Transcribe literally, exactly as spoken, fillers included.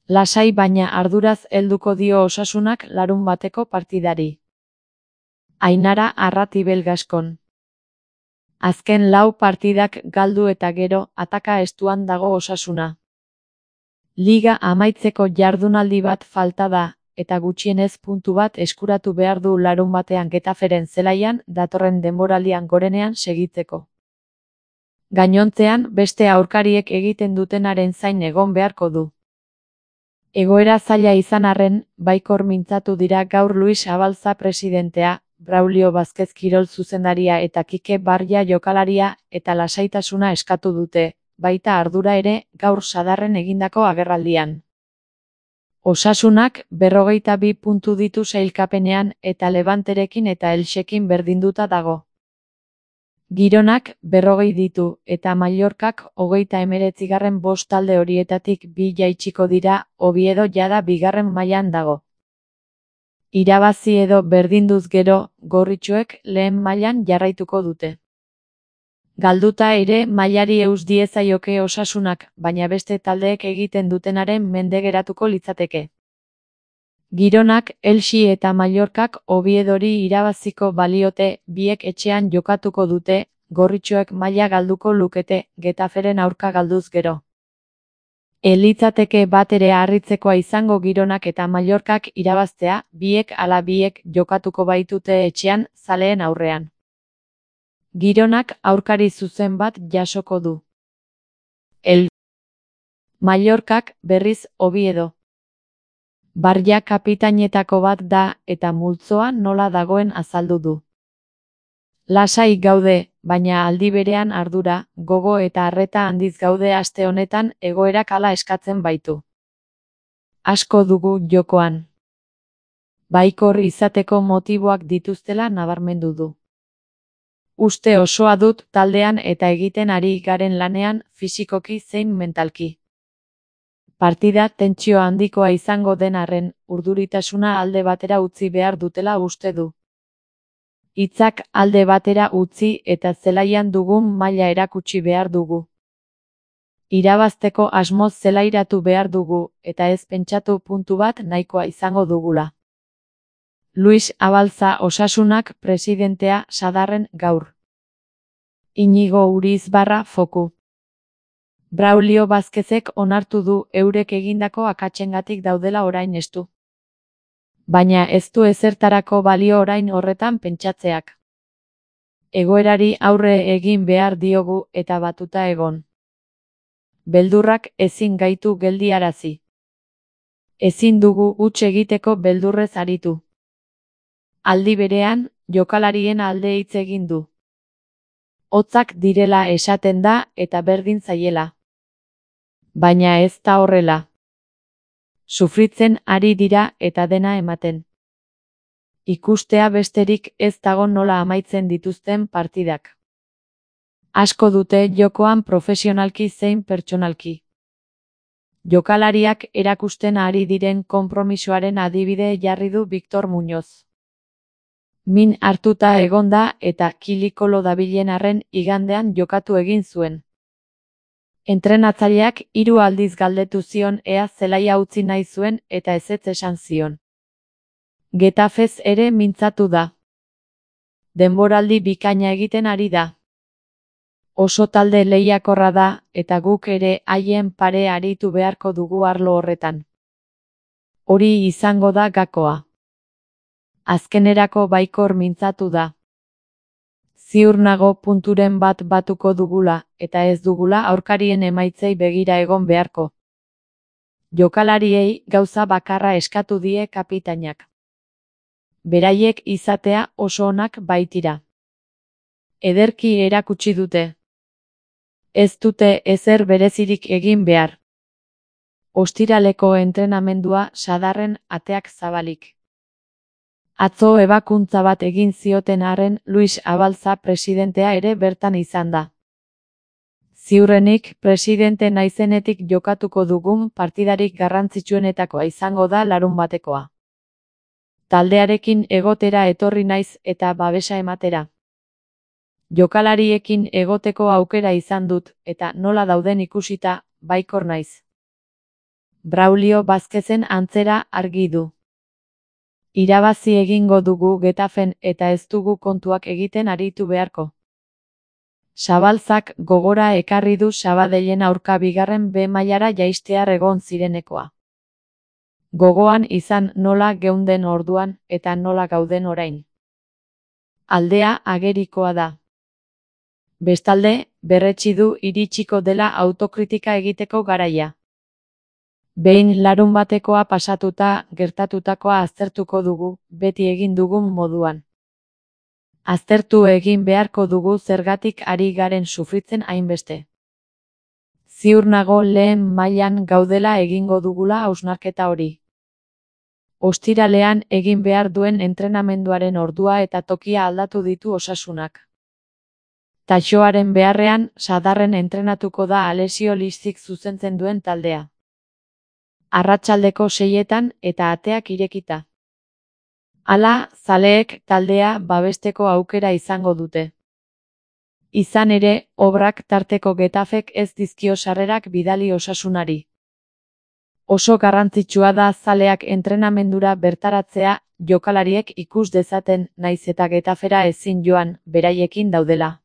Lasai baina arduraz helduko dio Osasunak larunbateko partidari. Ainara Arratibel Gaskon. Azken lau partidak galdu eta gero, ataka estuan dago Osasuna. Liga amaitzeko jardunaldi bat falta da, eta gutxienez puntu bat eskuratu behar du larunbatean Getaferen zelaian datorren denboraldian gorenean segitzeko. Gainontzean, beste aurkariek egiten dutenaren zain egon beharko du. Egoera zaila izan arren, baikor mintzatu dira gaur Luis Abalza presidentea, Braulio Vázquez kirol zuzendaria eta Kike Barria jokalaria eta lasaitasuna eskatu dute, baita ardura ere, gaur Sadarren egindako agerraldian. Osasunak berrogeita bi puntu ditu sailkapenean eta Levanterekin eta Elxekin berdinduta dago. Gironak berrogei ditu eta Mallorcak hogeita hemeretzigarren bost talde horietatik bi jaitsiko dira, Oviedo jada bigarren mailan dago. Irabazi edo berdinduz gero, gorritxoek lehen mailan jarraituko dute. Galduta ere mailari eus diezaioke Osasunak, baina beste taldeek egiten dutenaren mende geratuko litzateke. Gironak, Elxi eta Mallorcak Oviedori irabaziko baliote, biek etxean jokatuko dute, gorritxoek maila galduko lukete, Getaferen aurka galduz gero. Elitzateke bat ere harritzekoa izango Gironak eta Mallorcak irabaztea, biek ala biek jokatuko baitute etxean, zaleen aurrean. Gironak aurkari zuzen bat jasoko du. El Mallorcak berriz Oviedo. Barria kapitainetako bat da eta multzoa nola dagoen azaldu du. Lasai gaude, baina aldi berean ardura, gogo eta arreta handiz gaude aste honetan egoerak hala eskatzen baitu. Asko dugu jokoan. Baikor izateko motiboak dituztela nabarmendu du. Uste osoa dut taldean eta egiten ari garen lanean, fisikoki zein mentalki. Partida tentsio handikoa izango den arren, urduritasuna alde batera utzi behar dutela uste du. Hitzak alde batera utzi eta zelaian dugun maila erakutsi behar dugu. Irabazteko asmoz zelairatu behar dugu, eta ez pentsatu puntu bat nahikoa izango dugula. Luis Abalza Osasunak presidentea Sadarren gaur. Inigo Urizbarra foku. Braulio Vázquezek onartu du eurek egindako akatsengatik daudela orain estu. Baina ez du ezertarako balio orain horretan pentsatzeak. Egoerari aurre egin behar diogu eta batuta egon. Beldurrak ezin gaitu geldiarazi. Ezin dugu huts egiteko beldurrez aritu. Aldi berean, jokalarien alde hitz egin du. Hotzak direla esaten da eta berdin zaiela. Baina ez da horrela. Sufritzen ari dira eta dena ematen. Ikustea besterik ez dago nola amaitzen dituzten partidak. Asko dute jokoan profesionalki zein pertsonalki. Jokalariak erakusten ari diren konpromisoaren adibide jarri du Victor Muñoz. Min hartuta egonda eta kilikolo dabilen arren igandean jokatu egin zuen. Entrenatzaileak hiru aldiz galdetu zion ea zelaia utzi nahi zuen eta ezetz esan zion. Getafez ere mintzatu da. Denboraldi bikaina egiten ari da. Oso talde lehiakorra da eta guk ere haien pare aritu beharko dugu arlo horretan. Hori izango da gakoa. Azkenerako baikor mintzatu da. Ziur nago punturen bat batuko dugula, eta ez dugula aurkarien emaitzei begira egon beharko. Jokalariei gauza bakarra eskatu die kapitainak. Beraiek izatea oso onak baitira. Ederki erakutsi dute. Ez dute ezer berezirik egin behar. Ostiraleko entrenamendua Sadarren ateak zabalik. Atzo ebakuntza bat egin zioten arren Luis Abalza presidentea ere bertan izan da. Ziurrenik presidente naizenetik jokatuko dugun partidarik garrantzitsuenetakoa izango da larunbatekoa. Taldearekin egotera etorri naiz eta babesa ematera. Jokalariekin egoteko aukera izan dut eta nola dauden ikusita, baikor naiz. Braulio Vázquezen antzera argi du. Irabazi egingo dugu Getafen eta ez dugu kontuak egiten aritu beharko. Zabalzak gogora ekarri du Sabadellen aurka bigarren B mailara jaistear egon zirenekoa. Gogoan izan nola geunden orduan eta nola gauden orain. Aldea agerikoa da. Bestalde, berretsi du iritsiko dela autokritika egiteko garaia. Behin larun batekoa pasatuta gertatutakoa aztertuko dugu, beti egin dugun moduan. Aztertu egin beharko dugu zergatik ari garen sufritzen hainbeste. Ziur nago lehen mailan gaudela egingo dugula hausnarketa hori. Ostiralean egin behar duen entrenamenduaren ordua eta tokia aldatu ditu Osasunak. Taxoaren beharrean, Sadarren entrenatuko da Alessio Liszik zuzentzen duen taldea. Arratsaldeko seietan eta ateak irekita. Hala, zaleek taldea babesteko aukera izango dute. Izan ere, obrak tarteko Getafek ez dizkio sarrerak bidali Osasunari. Oso garrantzitsua da zaleak entrenamendura bertaratzea, jokalariek ikus dezaten, naiz eta Getafera ezin joan, beraiekin daudela.